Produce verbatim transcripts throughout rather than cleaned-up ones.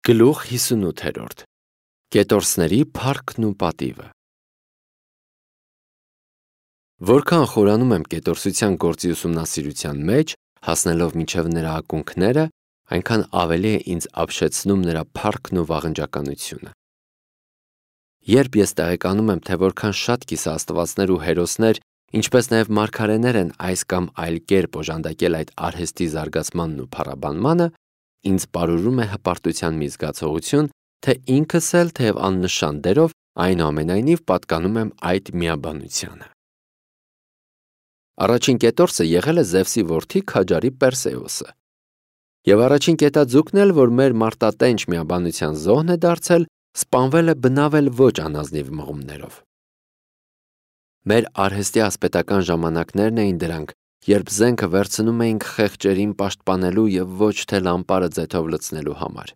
Գլուխ հիսունութերորդ Կետորսների փառքն ու պատիվը Որքան խորանում եմ կետորսության գործի ուսումնասիրության մեջ, հասնելով մինչև նրա ակունքները, այնքան ավելի է ինձ ապշեցնում նրա փառքն ու վաղնջականությունը։ Երբ ես տեղեկանում եմ, թե որքան շատ կիսաստվածներ ու հերոսներ, ինչպես նաև մարգարեներ են այս կամ այլ կերպ օժանդակել այդ արհեստի զարգացմանն ու փառաբանմանը, ինձ պարուրում է հպարտության մի զգացողություն, թե ինքս էլ թեև աննշան դերով այնուամենայնիվ պատկանում եմ այդ միաբանությանը։ Առաջին կետորսը եղել է Զևսի որդի քաջարի Պերսեոսը։ Եվ առաջին կետաձուկն էլ, որ մեր մարտատենչ միաբանության զոհն է դարձել, սպանվել է բնավել ոչ անազնիվ մղումներով։ Մեր արհեստի ասպետական ժամանակներն էին դրանք, երբ զենքը վերցնում էինք խեղճերին պաշտպանելու և ոչ թե լամպարը ձեթով լցնելու համար։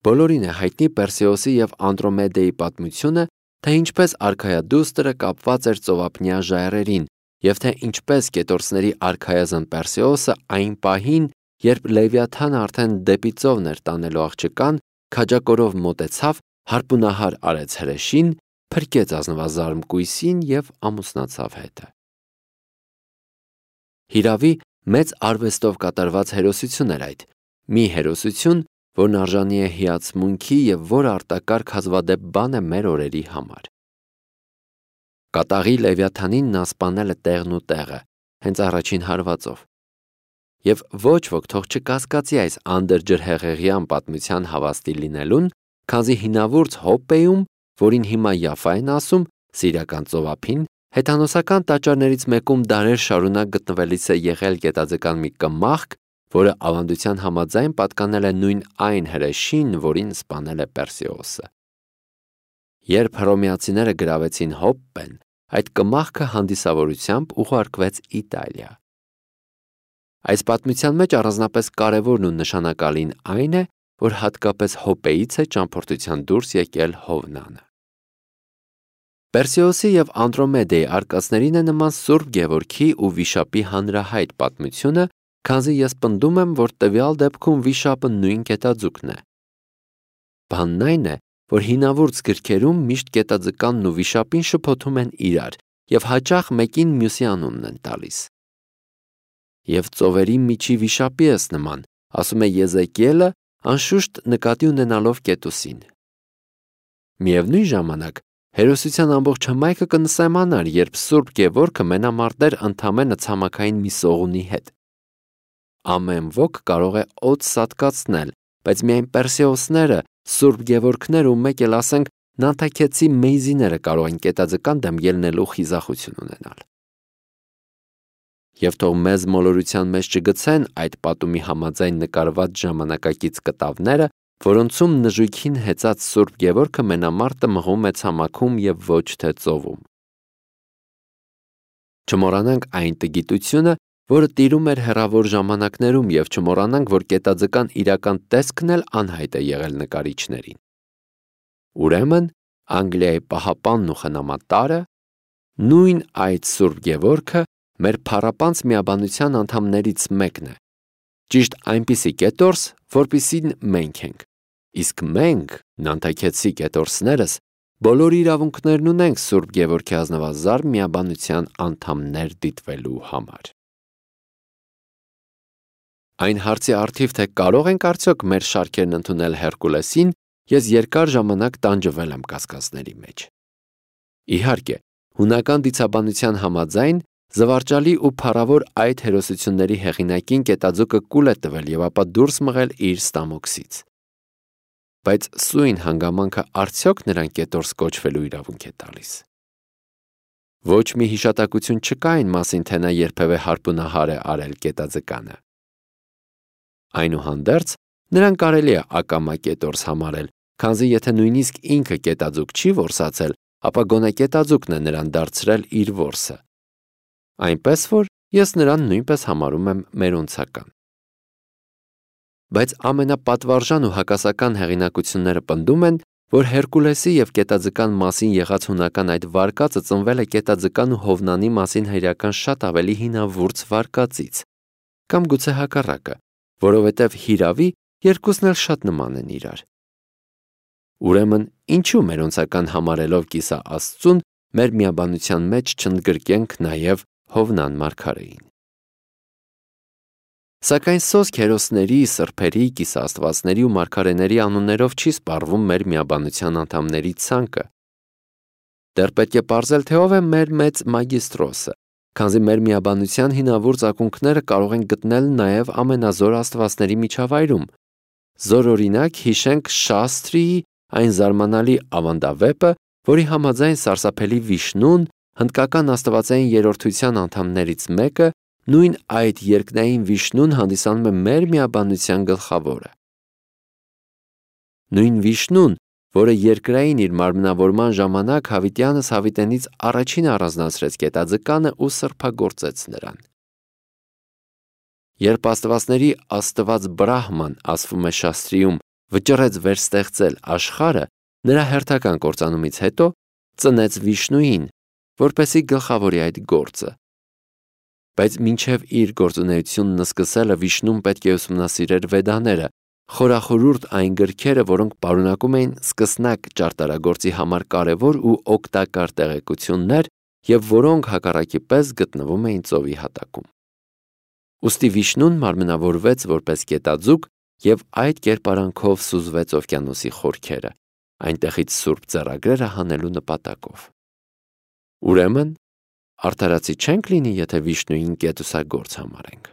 Բոլորին է հայտնի Պերսեոսի և Անդրոմեդեի պատմությունը, թե ինչպես արքայադուստրը կապված էր ծովափնյա ժայռերին և թե ինչպես կետորսների արքայազն Պերսեոսը այն պահին, երբ Լևիաթանը արդեն դեպի ծովն էր տանելու աղջկան, քաջակորով մոտեցավ, հարպունահար արեց հրեշին, փրկեց ազնվազարմ կույսին և ամուսնացավ հետը։ Հիրավի, մեծ արվեստով կատարված հերոսություն էր այդ, մի հերոսություն, որն արժանի է հիացմունքի և որ արտակարգ հազվադեպ բան է մեր օրերի համար։ Կատաղի Լևիաթանին նա սպանել է տեղն ու տեղը, հենց առաջին հարվածով։ Եվ ոչ ոք թող չկասկածի այս անդրջրհեղեղյան պատմության հավաստի լինելուն, քանզի հինավուրց Հոպպեում, որին հիմա Յաֆա են ասում, Սիրիական ծովափին, հեթանոսական տաճարներից մեկում դարեր շարունակ գտնվելիս է եղել գետաձկան մի կմախք, որը ավանդության համաձայն պատկանել է նույն այն հրեշին, որին սպանել է Պերսեոսը։ Երբ հռոմեացիները գրավեցին Հոպպեն, այդ կմախքը հանդիսավորությամբ ուղարկվեց Իտալիա։ Այս պատմության մեջ առանձնապես կարևորն ու նշանակալին այն է, որ հատկապես Հոպեից է ճամփորդության դուրս եկել Հովնանը։ Պերսեոսի և Անդրոմեդեի արկածներին է նման Սուրբ Գևորգի ու Վիշապի հանրահայտ պատմությունը, քանզի ես պնդում եմ, որ տվյալ դեպքում Վիշապը նույն կետաձուկն է։ Բանն այն է, որ հինավուրց գրքերում միշտ կետաձկանն ու Վիշապին շփոթում են իրար և հաճախ մեկին մյուսի անունն են տալիս։ Եվ ծովերի միջի Վիշապի ես նման, ասում է Եզեկիելը, անշուշտ նկատի ունենալով Կետուսին։ Միևնույն ժամանակ, հերոսության ամբողջ հմայքը կնսեմանար, երբ Սուրբ Գևորգը մենամարտեր ընդամենը ցամաքային մի սողունի հետ։ Ամեն ոք կարող է օդ սատկացնել, բայց միայն Պերսեոսները, Սուրբ Գևորգները ու մեկ էլ ասենք Նանթաքեցի մեյզիները կարող են կետաձկան դեմ ելնելու խիզախություն ունենալ։ Եվ թող մեզ մոլորության մեջ չգցեն այդ պատումի համաձայն նկարված ժամանակակից կտավները, որոնցում նժույգին հեծած Սուրբ Գևորգը մենամարտը մղում է ցամաքում և ոչ թե ծովում։ Չմոռանանք այն տգիտությունը, որը տիրում էր հեռավոր ժամանակներում և չմոռանանք, որ կետաձկան իրական տեսքն էլ անհայտ է եղել նկարիչներին։ Ուրեմն, Անգլիայի պահապանն ու խնամատարը, նույն այդ Սուրբ Գևորգը մեր փառապանծ միաբանության անդամներից մեկն է, ճիշտ այնպիսի կետորս, որպիսին մենք ենք, իսկ մենք, Նանթաքեցի կետորսներս, բոլոր իրավունքներն ունենք Սուրբ Գևորգի ազնվազարդ միաբանության անդամներ դիտվելու համար։ Այն հարցի առթիվ, թե կարող ենք արդյոք մեր շարքերն ընդունել Հերկուլեսին, ես երկար ժամանակ տանջվել եմ կասկածների մեջ։ Իհարկե, հունական դիցաբանության համաձայն զվարճալի ու փառավոր այդ հերոսությունների հեղինակին կետաձուկը կուլ է տվել և ապա դուրս մղել իր ստամոքսից։ Բայց սույն հանգամանքը արդյոք նրան կետորս կոչվելու իրավունք է տալիս։ Ոչ մի հիշատակություն չկա այն մասին, թե նա երբևէ հարպունահար է արել կետաձկանը։ Այնուհանդերձ, նրան կարելի է ակամա կետորս համարել, քանզի եթե նույնիսկ ինքը կետաձուկ չի որսացել, ապա գոնե կետաձուկն է նրան դարձրել իր որսը։ Այնպես որ ես նրան նույնպես համարում եմ մերոնցական։ Բայց ամենապատվարժան ու հակասական հեղինակությունները պնդում են, որ Հերկուլեսի և կետաձկան մասին եղած հունական այդ վարկածը ծնվել է կետաձկան ու Հովնանի մասին հայրական շատ ավելի հինավուրց վարկածից, կամ գուցե հակառակը, որովհետև հիրավի, երկուսն էլ շատ նման են իրար։ Ուրեմն, ինչու մերոնցական համարելով կիսա Աստծուն, մեր միաբանության մեջ չընդգրկենք նաև Հովնան մարգարեին։ Սակայն սոսկ հերոսների, սրբերի, կիսաստվածների ու մարգարեների անուններով չի սպառվում մեր միաբանության անդամների ցանկը։ Դեռ պետք է պարզել, թե ով է մեր մեծ մագիստրոսը, քանզի մեր միաբանության հինավուրց ակունքները կարող են գտնել նաև ամենազոր աստվածների միջավայրում։ Զորօրինակ հիշենք Շաստրիի այն զարմանալի ավանդավեպը, որի համաձայն սարսափելի Վիշնուն, հնդկական աստվածային երրորդության անդամներից մեկը, նույն այդ երկնային Վիշնուն հանդիսանում է մեր միաբանության գլխավորը։ Նույն Վիշնուն, որը երկրային իր մարմնավորման ժամանակ հավիտյանս հավիտենից առաջին առանձնացրեց գետաձկանը ու սրբագործեց նրան։ Երբ աստվածների աստված Բրահման, ասվում է Շաստրիում, վճռեց վերստեղծել աշխարհը, նրա հերթական կործանումից հետո ծնեց Վիշնուին, որպեսզի գլխավորի այդ գործը։ Բայց մինչև իր գործունեությունն սկսելը Վիշնուն պետք է ուսումնասիրեր Վեդաները, խորախորուրդ այն գրքերը, որոնք պարունակում էին սկսնակ ճարտարագործի համար կարևոր ու օգտակար տեղեկություններ և որոնք հակառակի պես գտնվում էին ծովի հատակում։ Ուստի Վիշնուն մարմնավորվեց որպես գետաձուկ և այդ կերպարանքով սուզվեց օվկիանոսի խորքերը, այնտեղից սուրբ ձեռագրերը հանելու նպատակով։ Ուրեմն, արդարացի չենք լինի, եթե Վիշնուին կետուսագործ համարենք։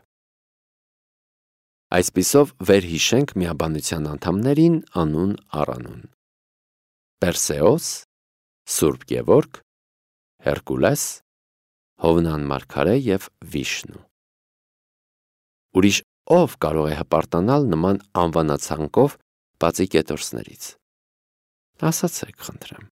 Այսպիսով վերհիշենք միաբանության անդամներին անուն առանուն. Պերսեոս, Սուրբ Գևորգ, Հերկուլես, Հովնան մարգարե և Վիշնու։ Ուրիշ ով կարող է հպարտանալ նման անվանացանկով բացի կետորսներից։ Ասացեք, խնդրեմ։